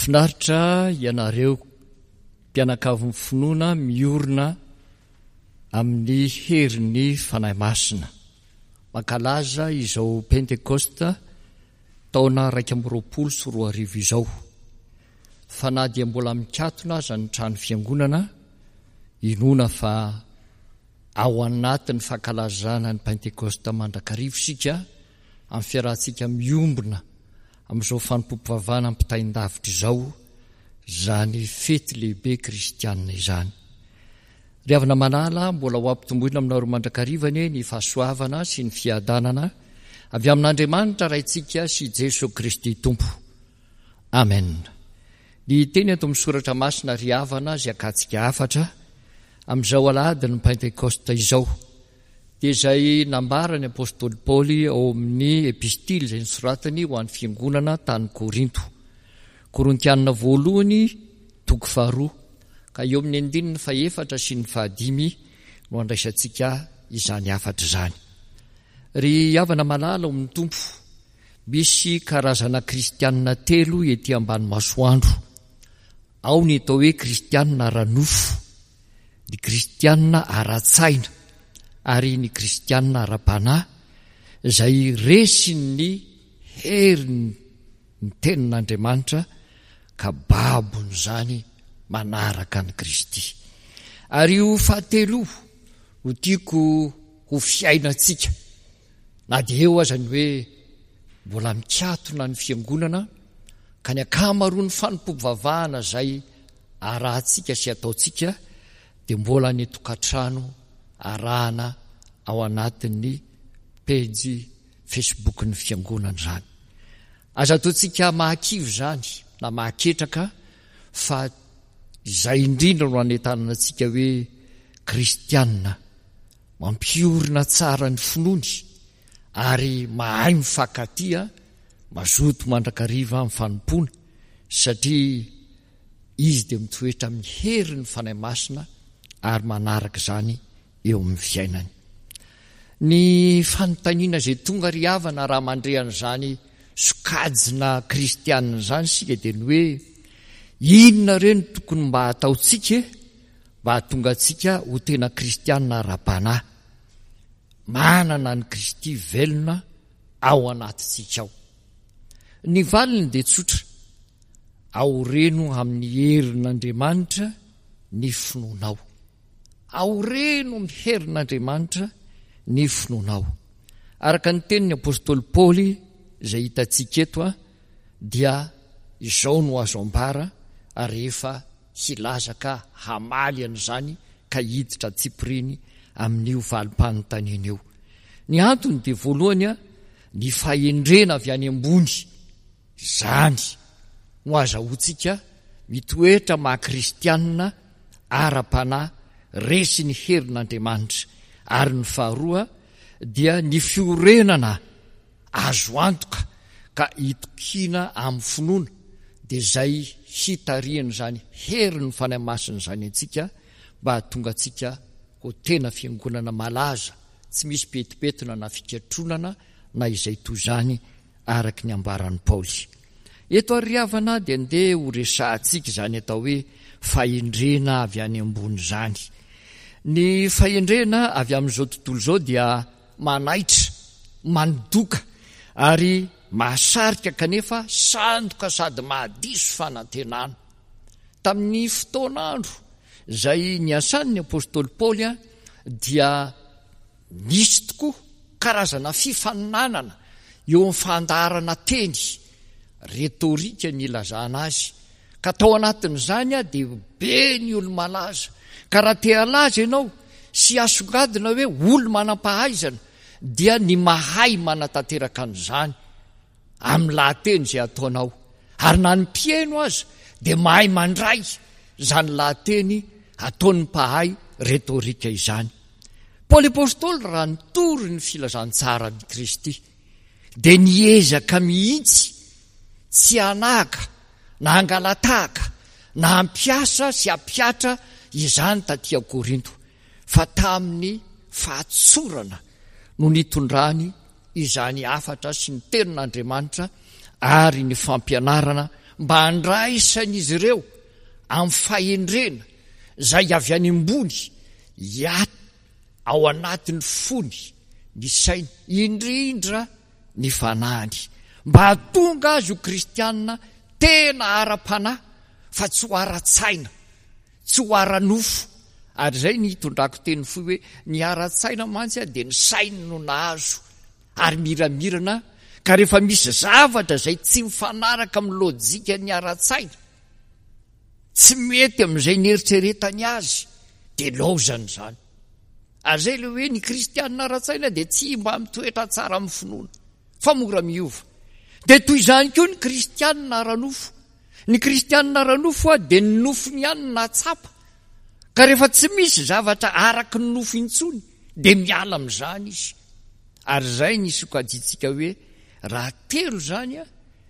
Finaritra ianareo mpianakavin'ny finoana miorina amin'ny herin'ny Fanahy Masina. Mankalaza izao Pentekosta taona 2021 izao. Fa na dia mbola mikatona aza ny trano fiangonana, inoana fa ao anatin'ny fankalazana ny Pentekosta mandrakariva isika amin'ny fiarahantsika miombona amin'izao fanompoam-pivavahana ampitain-davitra izao izany fety lehibe kristianina izany. Ry havana malala, mbola ho ampitomboina aminareo mandrakariva anie ny fahasoavana sy ny fiadanana avy amin'Andriamanitra Raintsika sy Jeso Kristy Tompo. Amen. Ny teny ato amin'ny soratra masina ry havana izay akatsika hafatra amin'izao alahadin'ny Pentekosta izao dia izay nambaran'ny apostoly Paoly ao amin'ny epistily izay nosoratany ho an'ny fiangonana tany Korinto. Korintianina voalohany toko faharoa ka eo amin'ny andininy fahefatra sy ny fahadimy no andraisantsika izany hafatra izany. Ry havana malala ao amin'ny Tompo, misy karazana kristianina telo ety ambany masoandro. Ao ny atao hoe kristianina ara-nofo, ny kristianina ara-tsaina ary ny kristianina ara-panahy izay resin'ny herin'ny tenin'Andriamanitra ka babon'izany manaraka an'i Kristy. Ary io fahatelo io no tiako ho fiainantsika na dia eo aza ny hoe mbola mikatona ny fiangonana ka ny ankamaroan'ny fanompoam-pivavahana izay arahantsika sy ataontsika dia mbola any an-tokantrano arahana ao anatin'ny pejy Facebook-n'ny fiangonana izany. Aza ataontsika mahakivy izany na mahaketraka fa izay indrindra no anentanana antsika hoe kristianina mampiorina tsara ny finoany ary mahay mifankatia, mazoto mandrakariva amin'ny fanompoana satria izy dia mitoetra amin'ny herin'ny Fanahy Masina ary manaraka izany eo amin'ny fiainany. Ny fanontaniana izay tonga ry havana raha mandre an'izany sokajina kristianina izany isika dia ny hoe inona re no tokony mba hataontsika e mba hahatonga antsika ho tena kristianina ara-panahy manana an'i Kristy velona ao anatintsika ao. Ny valiny dia tsotra, Aoreno amin'ny herin'Andriamanitra ny finoanao. Aoreno amin'ny herin'Andriamanitra ny finoanao. Araka ny tenin'ny apostoly Paoly izay hitantsika eto dia izao no azo ambara rehefa hilaza ka hamaly an'izany ka hiditra antsipiriany amin'io valim-panontaniana io. Ny antony dia voalohany ny fahendrena avy any ambony Izany no azahoantsika mitoetra maha kristianina ara-panahy resin'ny herin'Andriamanitra. Ary ny faharoa dia ny fiorenana azo antoka ka itokiana amin'ny finoana dia izay hitarihan'izany herin'ny Fanahy Masina izany antsika mba hahatonga antsika ho tena fiangonana malaza tsy misy pentipentina na fikatronana na izay toy izany araka ny ambaran'i Paoly. Eto àry ry havana dia ndeha ho resahantsika izany atao hoe fahendrena avy any ambony izany. Ny fahendrena avy amin'izao tontolo izao dia manaitra, mandoka ary mahasarika kanefa sandoka sady mahadiso fanantenana. Tamin'ny fotoan'andro izay niasan'ny apostoly Paoly dia Nisy tokoa karazana fifaninanana eo amin'ny fandaharana teny, retorika ny ilazana azy, ka tao anatin'izany dia be ny olo-malaza, ka raha te halaza ianao sy hasongadina hoe olo-manam-pahaizana dia ny mahay manatanteraka an'izany amin'ny lahateny izay ataonao, ary na ny mpihaino aza dia mahay mandray izany lahateny ataon'ny mpahay retorika izany. Paoly Apostoly raha nitory ny filazantsaran'i Kristy dia niezaka mihitsy tsy hanahaka na hangalatahaka na hampiasa sy hampihatra izany taty Korinto fa tamin'ny fahatsorana no nitondrany izany hafatra sy ny tenin'Andriamanitra ary ny fampianarana mba handraisan'izy ireo amin'ny fahendrena izay avy any ambony hiato ao anatin'ny fony, ny sainy, indrindra ny fanahiny, mba hahatonga azy ho kristiana tena ara-panahy fa tsy ho ara-tsaina, tsy ho ara-nofo. Ary izay ny hitondrako teny fohy hoe ny ara-tsaina mantsy dia ny sainy no nahazo ary miramirana ka rehefa misy zavatra izay tsy mifanaraka amin'ny lojikan'ny ara-tsaina, tsy mety amin'izay nieritreretany azy dia laozany izany. Ary izay ilay hoe ny kristianina ara-tsaina dia tsy mba mitoetra tsara amin'ny finoana fa mora miova. Dia toy izany koa ny kristianina ara-nofo. Ny kristianina ara-nofo dia ny nofony ihany no nahatsapa ka rehefa tsy misy zavatra araky ny nofo intsony dia miala amin'izany izy. Ary izay ny sokajintsika hoe raha telo izany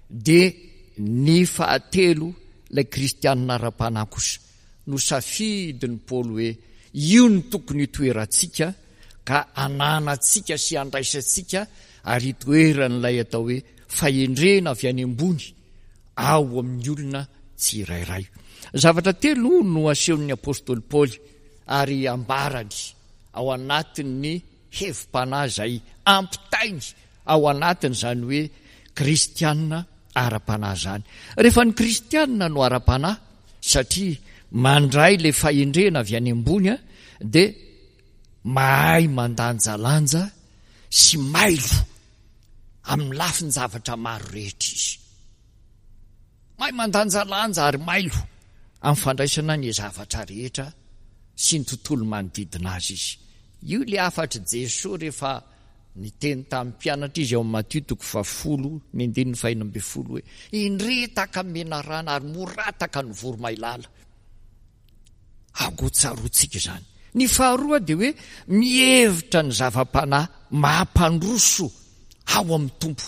dia ny fahatelo ilay kristianina ara-panahy kosa no safidin'i Paoly hoe io no tokony hitoerantsika ka ananantsika sy andraisantsika ary hitoeran'ilay atao hoe fahendrena avy any ambony ao amin'ny olona tsirairay. Zavatra telo no asehon'ny apostoly Paoly ary ambarany ao anatin'ny hevi-panahy izay ampitainy ao anatin'izany hoe kristiana ara-panahy izany. Rehefa ny kristiana no ara-panahy, satria mandray ilay fahendrena avy any ambony, dia mahay mandanjalanja sy mailo amin'ny lafin-javatra maro rehetra izy. Mahay mandanjalanja ary mailo amin'ny fandraisana ny zavatra rehetra sy ny tontolo manodidina azy izy. Io ilay hafatr'i Jesoa rehefa niteny tamin'ny mpianatra izy ao amin'ny Matio toko fahafolo ny andininy fahenina ambin'ny folo hoe, Indre tahaka ny menarana ary morataka ny voromailala. Aoka ho tsaroantsika izany. Ny faharoa dia hoe mihevitra ny zava-panahy mampandroso ao amin'ny Tompo.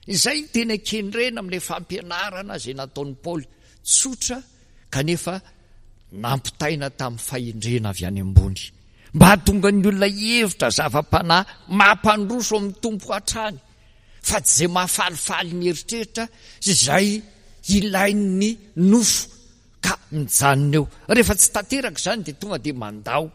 Izay no tena kendrena amin'ilay fampianarana izay nataon'i Paoly, tsotra kanefa nampitaina tamin'ny fahendrena avy any ambony, mba hahatonga ny olona hihevitra zava-panahy mampandroso amin'ny Tompo hatrany, fa tsy izay mahafalifaly ny eritreritra sy izay ilain'ny nofo ka mijanona eo. Rehefa tsy tanteraka izany dia tonga dia mandao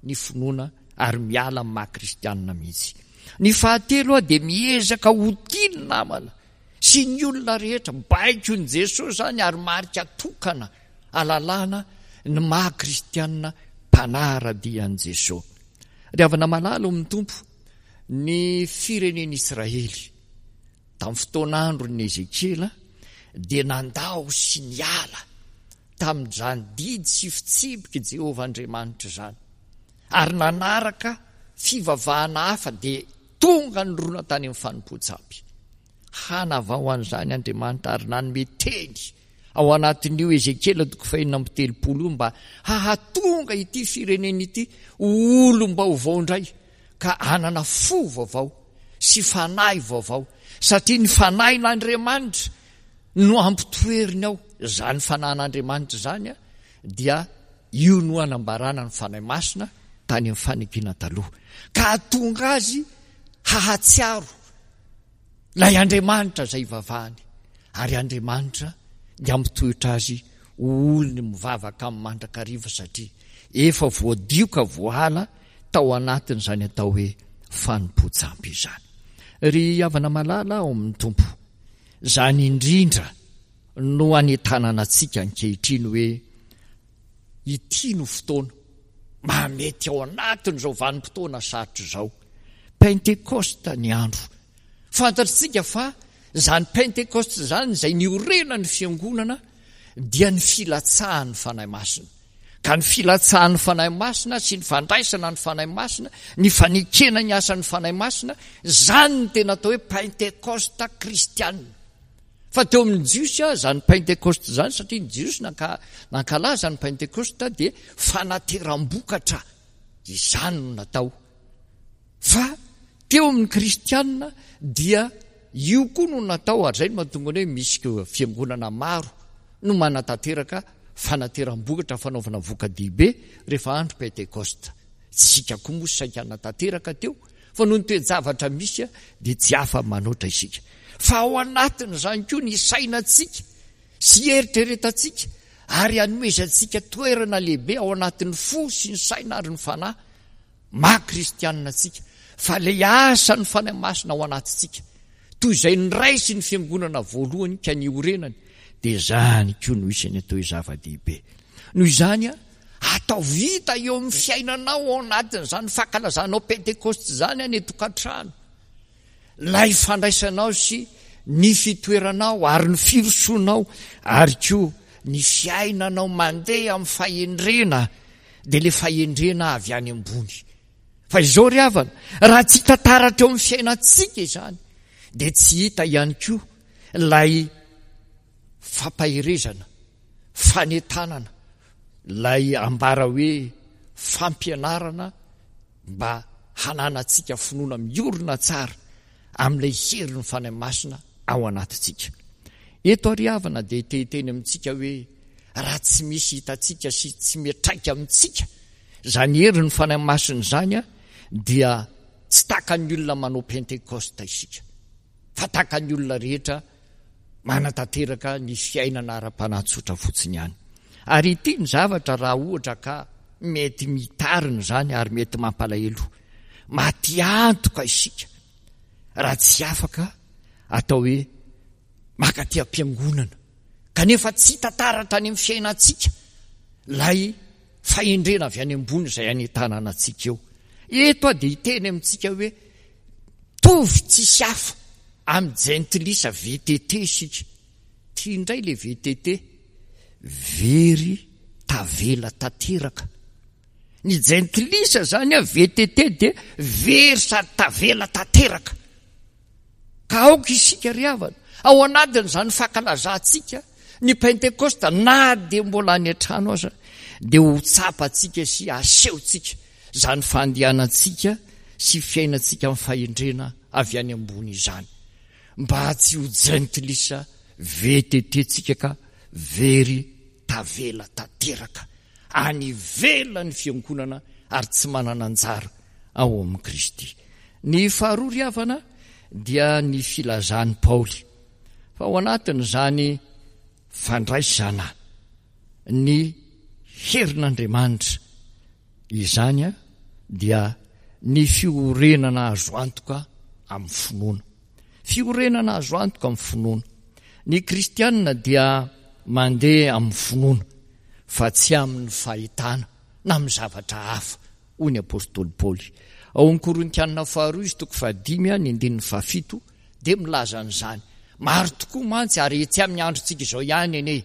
ny finoana ary miala amin'ny maha kristianina mihitsy. Ny fahatelo dia miezaka ho tia ny namana sy ny olona rehetra. Baikon'i Jesoa izany ary marika tokana alalana ny maha kristianina mpanara-dia an'i Jesoa. Ry havana malala ao amin'ny Tompo, ny firenen'Israely tamin'ny fotoan'andron'i Ezekiela dia nandao sy niala tamin'izany didy sy fitsipik'i Jehovah Andriamanitra izany, ary nanaraka fivavahana hafa, dia tonga nirona tany amin'ny fanompoan-tsampy. Hanavao an'izany Andriamanitra ary nanome teny ao anatin'io Ezekiela toko fahenina amby telopolo io mba hahatonga ity firenena ity ho olom-baovao indray ka hanana fo vaovao sy fanahy vaovao, satria ny fanahin'Andriamanitra no ampitoeriny ao. Izany fanahin'Andriamanitra izany dia io no anambarana ny Fanahy Masina tany amin'ny fanekena taloha, ka hahatonga azy hahatsiaro ilay Andriamanitra izay ivavahany, ary Andriamanitra dia hampitoetra azy ho olony mivavaka aminy mandrakariva, satria efa voadio ka voahala tao anatin'izany atao hoe fanompoan-tsampy izany. Ry havana malala ao amin'ny Tompo, Izany indrindra no anentanana antsika ankehitriny hoe ity no fotoana mahamety ao anatin'izao vanim-potoana sarotra izao. Pentekosta ny andro. Fantatritsika fa izany Pentekosta izany izay niorenan'ny fiangonana dia ny filatsahan'ny Fanahy Masina. Ka ny filatsahan'ny Fanahy Masina sy ny fandraisana ny Fanahy Masina, ny fanekena ny asan'ny Fanahy Masina, izany no tena atao hoe Pentekosta kristiana. Fa teo amin'ny Jiosy izany Pentekosta izany, satria ny Jiosy nankalaza ny Pentekosta dia fanateram-bokatra, izany no natao. Fa teo amin'ny kristiana dia io koa no natao ary izay no mahatonga ny hoe misy fiangonana maro no manatanteraka fanateram-bokatra fanaovana voka-dehibe rehefa andro Pentekosta. Isika koa moa saika hanatanteraka teo fa noho ny toe-javatra misy dia tsy afa-manoatra isika. Fa ao anatin'izany koa ny sainantsika. sy ieritreretantsika ary anomezantsika toerana lehibe ao anatin'ny fo sy ny saina ary ny fanahy maha kristianina antsika, fa ilay asan'ny Fanahy Masina ao anatintsika, toy izay niraisin'ny fiangonana voalohany ka niorenany, dia izany koa no isan'ny atao hoe zava-dehibe. Noho izany, ataovy hita eo amin'ny fiainanao ao anatin'izany fankalazanao Pentekosta izany any an-tokantrano, ilay fandraisanao sy ny fitoeranao ary ny firosoanao ary koa ny fiainanao mandeha amin'ny fahendrena dia ilay fahendrena avy any ambony. Fa izao ry havana, raha tsy hita taratra eo amin'ny fiainantsika izany, dia tsy hita ihany koa ilay fampaherezana, fanentanana, ilay ambara hoe fampianarana mba hananantsika finoana miorina tsara amin'ilay herin'ny Fanahy Masina ao anatintsika. Eto ary havana dia te hiteny amintsika hoe raha tsy misy hitantsika sy tsy miatraika amintsika izany herin'ny Fanahy Masina izany dia tsy takan'ny olona manao Pentekosta isika fa takan'ny olona rehetra manatanteraka ny fiainana ara-panahy tsotra fotsiny ihany. Ary ity ny zavatra raha ohatra ka mety mitarina izany ary mety mampalahelo. Maty antoka isika raha tsy afaka atao hoe maka aty am-piangonana kanefa tsy hita taratra any amin'ny fiainantsika ilay fahendrena avy any ambony izay anentanana antsika eo. Eto aho dia hiteny amintsika hoe tovy tsisy hafa amin'ny jentilisa VTT isika. Ty indray le VTT, very tavela tanteraka. Ny jentilisa zany a VTT dia very sady tavela tanteraka. Ka aoka isika ry havana, ao anatin'izany fankalazantsika ny Pentekosta na dia mbola any an-trano aza dia ho tsapantsika sy asehontsika izany fandehanantsika sy fiainantsika amin'ny fahendrena avy any ambony izany. Mba tsy ho jentilisa VTT tsika ka very tavela tanteraka any ivelan'ny fiangonana ary tsy manana anjara ao amin'i Kristy. Ny faharoa ry havana dia ny filazan'i Paoly fa ao anatin'izany fandraisana ny herin'Andriamanitra izany dia ny fiorenana azo antoka amin'ny finoana. Fiorenana azo antoka amin'ny finoana. Ny kristianina dia mandeha amin'ny finoana fa tsy amin'ny fahitana na amin'ny zavatra hafa, hoy ny apostoly Paoly. Ao amin'ny Korintianina faharoa izy toko fahadimy ny andininy fahafito dia milaza an'izany. Maro tokoa mantsy ary etsy amin'ny androntsika izao ihany anie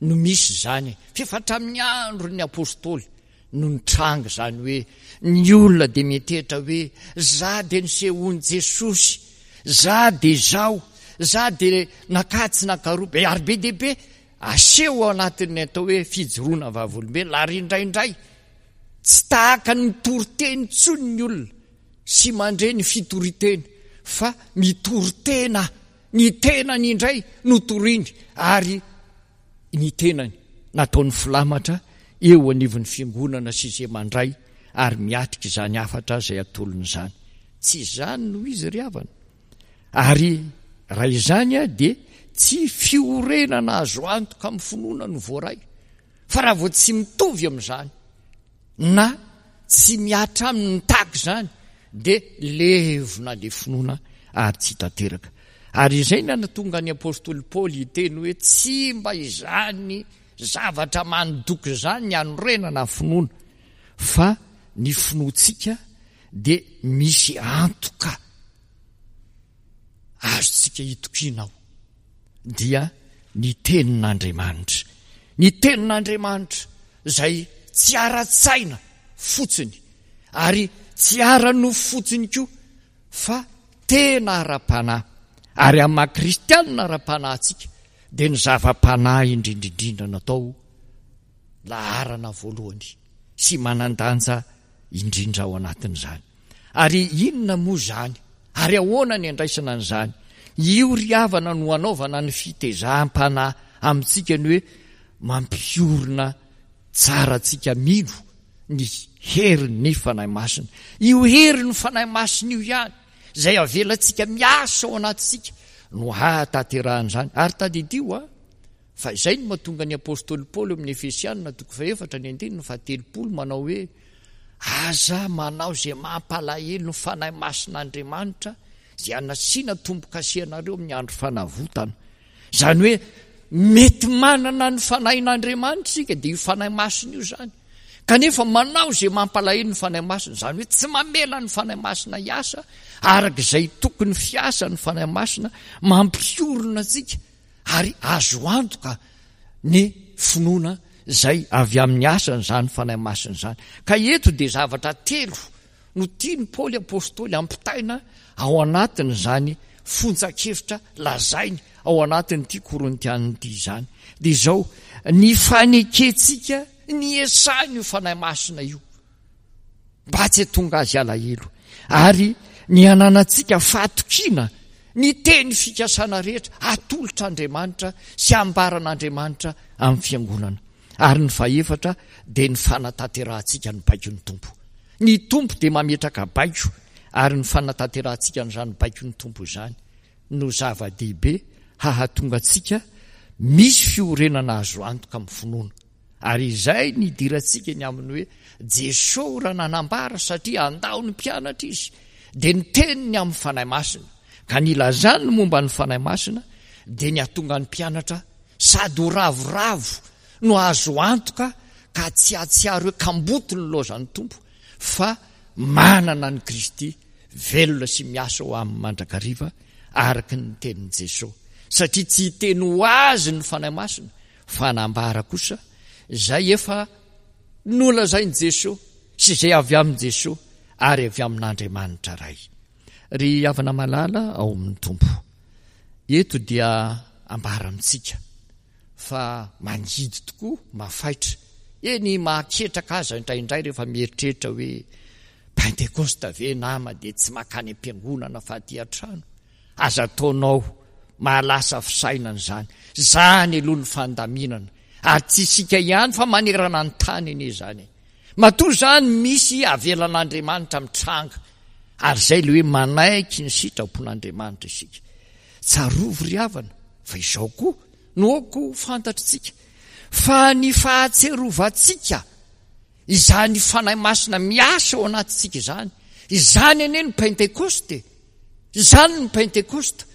no misy izany f'efa hatramin'ny andron'ny apostoly no nitranga izany hoe ny olona dia miantehitra hoe za dia nisehoan'i Jesosy, za dia izao, za dia nakatsy nakaroa be ary be dia be aseho ao anatin'ny atao hoe fijoroana vavolombelona ary indraindray tsy tahaka ny mitory teny intsony ny olona sy mandre ny fitoriteny fa mitory tena ny tenany indray no toriny ary ny tenany nataony filamatra eo anivon'ny fiangonana sy izay mandray ary miatrika izany hafatra izay atolony izany. Tsy izany no izy ry havana. Ary raha izany dia tsy fiorenana azo antoka amin'ny finoana no voaray. Fa raha vao tsy mitovy amin'izany na tsy mihatra aminy ny tahaka izany dia levona ilay finoana ary tsy tanteraka. Ary izay no nahatonga ny apostoly Paoly hiteny hoe tsy mba izany zavatra mandoky izany ny hanorenana ny finoana fa ny finoantsika dia misy antoka azontsika itokiana ao dia ny tenin'Andriamanitra. Ny tenin'Andriamanitra izay tsy ara-tsaina fotsiny ary tsy ara-nofo fotsiny koa fa tena ara-panahy. Ary amin'ny maha kristianina ara-panahy antsika dia ny zava-panahy indrindra indrindra natao laharana voalohany sy manan-danja indrindra ao anatin'izany. Ary inona moa izany? Ary ahoana ny andraisana an'izany? Io ry havana no anaovana ny fitezam-panahy amintsika ny hoe mampiorina tsara antsika mino ny herin'ny Fanahy Masina. Io herin'ny Fanahy Masina io ihany izay avelantsika miasa ao anatintsika no hahatanterahan'izany. Ary tadidio a! Fa izay no mahatonga ny apostoly Paoly eo amin'ny Efesianina toko fahefatra ny andininy fahatelopolo manao hoe, Aza manao izay mampalahelo ny Fanahy Masin'Andriamanitra izay hanasiana tombo-kase anareo amin'ny andro fanavotana. Izany hoe mety manana ny Fanahin'Andriamanitra isika, dia io Fanahy Masina io izany. Kanefa manao izay mampalahelo ny Fanahy Masina, izany hoe tsy mamela ny Fanahy Masina hiasa araka izay tokony fiasa ny Fanahy Masina mampiorina antsika ary azo antoka ny finoana izay avy amin'ny asan'izany Fanahy Masina izany. Ka eto dia zavatra telo no tian'i Paoly Apostoly ampitaina ao anatin'izany fonjan-kevitra lazainy ao anatin'ity Korintianina ity izany. Dia izao, ny fanekentsika ny esahin'io Fanahy Masina io. mba tsy hatonga azy alahelo, ary ny hananantsika fahatokiana ny teny fikasana rehetra atolotr'Andriamanitra sy ambaran'Andriamanitra amin'ny fiangonana. Ary ny fahefatra dia ny fanatanterahantsika ny baikon'ny Tompo. Ny Tompo dia mametraka baiko, ary ny fanatanterahantsika an'izany baikon'ny Tompo izany no zava-dehibe hahatonga antsika misy fiorenana azo antoka amin'ny finoana. Ary izay ny idirantsika ny amin'ny hoe Jesoa raha nanambara satria handao ny mpianatra Izy dia niteny ny amin'ny Fanahy Masina. Ka ny ilazany ny momba ny Fanahy Masina dia ny hahatonga ny mpianatra sady ho ravoravo no azo antoka ka tsy hahatsiaro hoe kamboty ny lozan'ny Tompo fa manana an'i Kristy velona sy miasa ao aminy mandrakariva araka ny tenin'i Jesoa. Satria tsy hiteny ho azy ny Fanahy Masina Fa nambara kosa izay efa nolazain'i Jesoa sy izay avy amin'i Jesoa ary avy amin'Andriamanitra Ray. Ry havana malala ao amin'ny Tompo, eto dia ambara amintsika fa mangidy tokoa, mafaitra, eny mahaketraka aza indraindray rehefa mieritreritra hoe Pentekosta ve nama dia tsy makany am-piangonana fa aty an-trano. Aza ataonao mahalasa fisainana izany. Izany aloha ny fandaminana. Ary tsy isika ihany fa manerana ny tany anie izany e. Matoa izany misy avelan'Andriamanitra mitranga. Ary izay ilay hoe manaiky ny sitrapon'Andriamanitra isika. Tsarovy ry havana fa izao koa no aoka ho fantatritsika fa ny fahatserovantsika izany Fanahy Masina miasa ao anatintsika izany, izany anie ny Pentekosta e. Izany ny Pentekosta.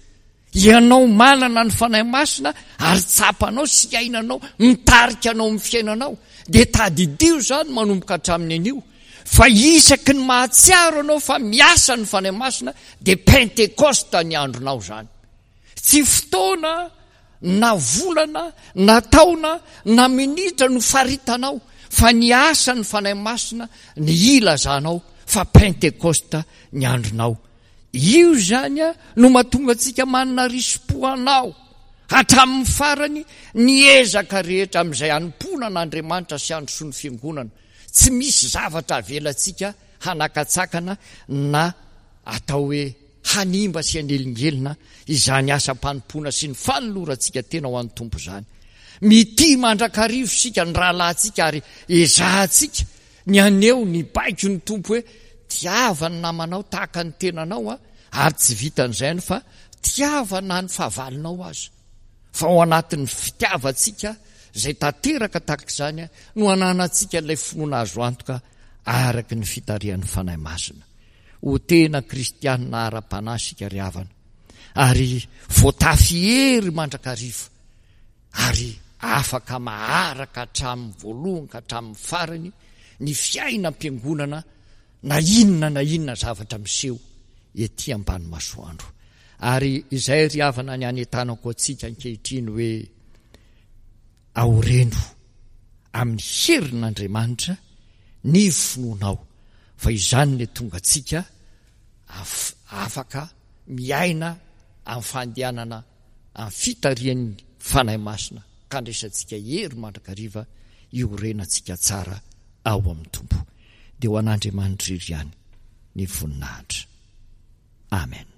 Ianao manana ny Fanahy Masina ary tsapanao sy iainanao, mitarika anao amin'ny fiainanao. Dia tadidio izany manomboka hatramin'ny anio fa isaky ny mahatsiaro anao fa miasa ny Fanahy Masina dia Pentekosta ny andronao izany. Tsy fotoana na volana na taona na minitra no faritanao fa ny asan'ny Fanahy Masina ny ilazanao fa Pentekosta ny andronao. Io izany no mahatonga antsika manana risi-po anao hatramin'ny farany ny ezaka rehetra amin'izay hanompoana an'Andriamanitra sy handrosoan'ny Fiangonana. Tsy misy zavatra avelantsika hanakatsakana na atao hoe hanimba sy hanelingelina izany asam-panompoana sy ny fanolorantsika tena ho an'ny Tompo izany. Mitia mandrakariva isika ny rahalahintsika ary ezahantsika ny haneho ny baikon'ny Tompo hoe tiava ny namanao tahaka ny tenanao ary tsy vitan'izay ihany fa tiava na ny fahavalonao aza. Fa ao anatin'ny fitiavantsika izay tanteraka tahaka izany no ananantsika ilay finoana azo antoka araka ny fitarihan'ny Fanahy Masina. Ho tena kristianina ara-panahy isika ry havana, ary voatafy hery mandrakariva, ary afaka maharaka hatramin'ny voalohany ka hatramin'ny farany ny fiainam-piangonana na inona na inona zavatra miseho ety ambany masoandro. Ary izay ry havana ny anentanako antsika ankehitriny hoe aoreno amin'ny herin'Andriamanitra ny finoanao fa izany ny tonga antsika afaka miaina amin'ny fandehanana amin'ny fitarihan'ny Fanahy Masina ka andraisantsika hery mandrakariva iorenantsika tsara ao amin'ny Tompo. Dia ho an'Andriamanitra irery ihany ny voninahitra. Amen.